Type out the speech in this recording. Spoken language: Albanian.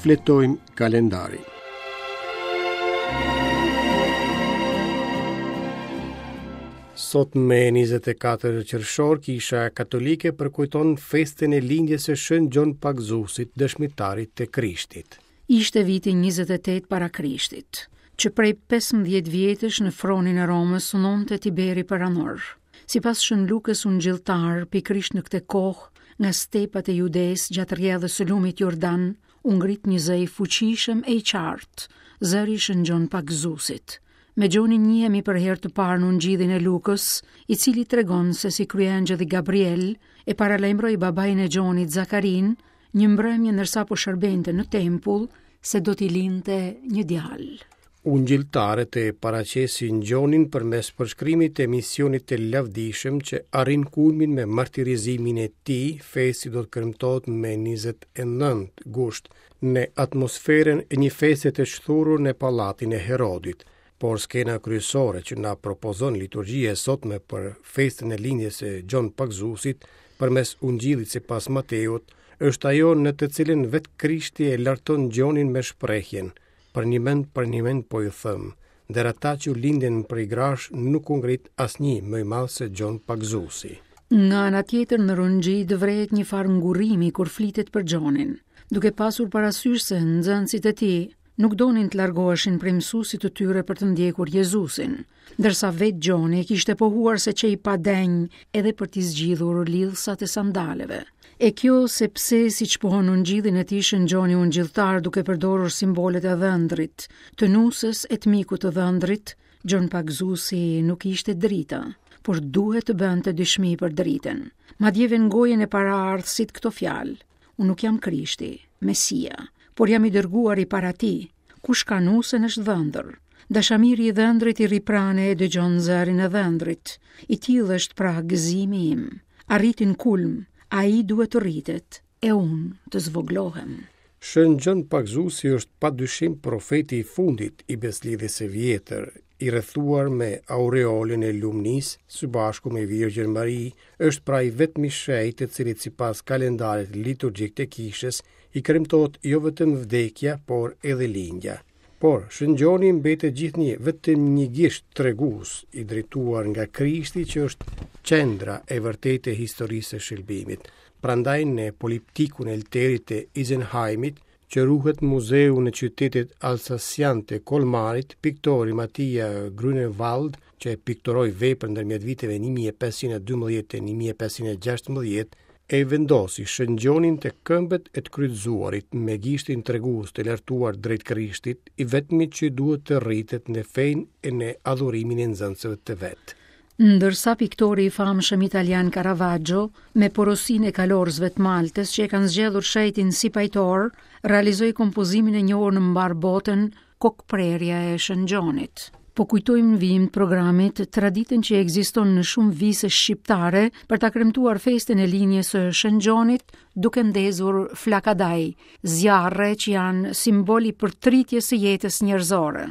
Shfletojmë kalendarin. Sot me 24 qershor, Kisha Katolike përkujton festën e lindjes së Shën Gjon Pagëzuesit, dëshmitarit të Krishtit. Ishte viti 28 para Krishtit, që prej 15 vjetësh në fronin e Romës sundonte Tiberi Perandor. Sipas Shën Lukës Ungjilltar, pikërisht në këtë kohë, nga stepat e Judesë gjatë rrjedhës së lumit Jordan, u ngrit një zë i fuqishëm e i qartë, zëri i Shën Gjon Pagëzuesit. Me Gjonin njihemi për herë të parë në Ungjillin e Lukës, i cili tregon se si kryeëngjëlli Gabriel e paralajmëroi babain e Gjonit, Zakarinë, një mbrëmje ndërsa po shërbente në tempull se do t'i lindte një djalë. Ungjilltarët e paraqesin Gjonin përmes përshkrimit të misionit të lavdishëm që arrin kulmin me martirizimin e tij, festë që do të kremtohet me 29 gusht, në atmosferën e një feste të shthurur në pallatin e Herodit. Por skena kryesore që na propozon liturgjia e sotme për festën e lindjes së Gjon Pagëzuesit përmes Ungjillit sipas Mateut, është ajo në të cilën vetë Krishti e larton Gjonin me shprehjen: Përnjëmend, përnjëmend po ju them, ndër ata që u lindën prej grash nuk u ngrit asnjë më i madh se Gjon Pagëzuesi. Nga ana tjetër në Ungjijtë vërehet një farë ngurrimi kur flitet për Gjonin, duke pasur parasysh se nxënësit e tij nuk donin të largoheshin prej mësuesit të tyre për të ndjekur Jezusin, ndërsa vetë Gjoni kishte pohuar se qe i padenjë edhe për t'i zgjidhur lidhësat e sandaleve. E kjo sepse, siç pohon në Ungjillin e tij Shën Gjoni Ungjilltar duke përdorur simbolet e dhëndrit, të nuses e të mikut të dhëndrit, Gjon Pagëzuesi nuk ishte drita, por duhet të bënte dëshmi për dritën. Madje vë në gojën e paraardhësit këto fjalë: Unë nuk jam Krishti, Mesia, por jam i dërguari para tij. Kush ka nusen është dhëndër. Dashamiri i dhëndrit i rri pranë e dëgjon zërin e dhëndrit. I tillë është pra gëzimi im. Arriti në kulm, ai duhet të rritet, e unë të zvogëlohem. Shën Gjon Pagëzuesi është pa dyshim profeti i fundit i Besëlidhjes së Vjetër, i rrethuar me aureolën e lumnisë, së bashku me Virgjën Mari, është pra i vetmi shenjt të cilit sipas kalendarit liturgjik të Kishës i kremtohet jo vetëm vdekja, por edhe lindja. Por, Shën Gjoni mbetet gjithnjë vetëm një gisht tregues i drejtuar nga Krishti që është qendra e vërtetë e historisë së shëlbimit. Prandaj në poliptikun e Olterit të Isenheimit, që ruhet në muzeun e qytetit alsasian të Kolmarit, piktori Matia Grünewald, që e pikturoi veprën ndërmjet viteve 1512 e 1516, e vendosi Shën Gjonin te këmbët e të kryqëzuarit me gishtin tregues të lartuar drejt Krishtit, i vetmi që duhet të rritet në fenë e në adhurimin e nxënësve të vet. Ndërsa piktori i famshëm italian Caravaggio, me porosinë e kalorësve të Maltës që e kanë zgjedhur shenjtin si pajtor, realizoi kompozimin e njohur në mbarë botën Kokëprerja e Shën Gjonit. Po kujtojmë në vijim të programit traditën që ekziston në shumë vise shqiptare për ta kremtuar festën e lindjes së Shën Gjonit duke ndezur flakadaj, zjarre që janë simbol i përtritjes së jetës njerëzore.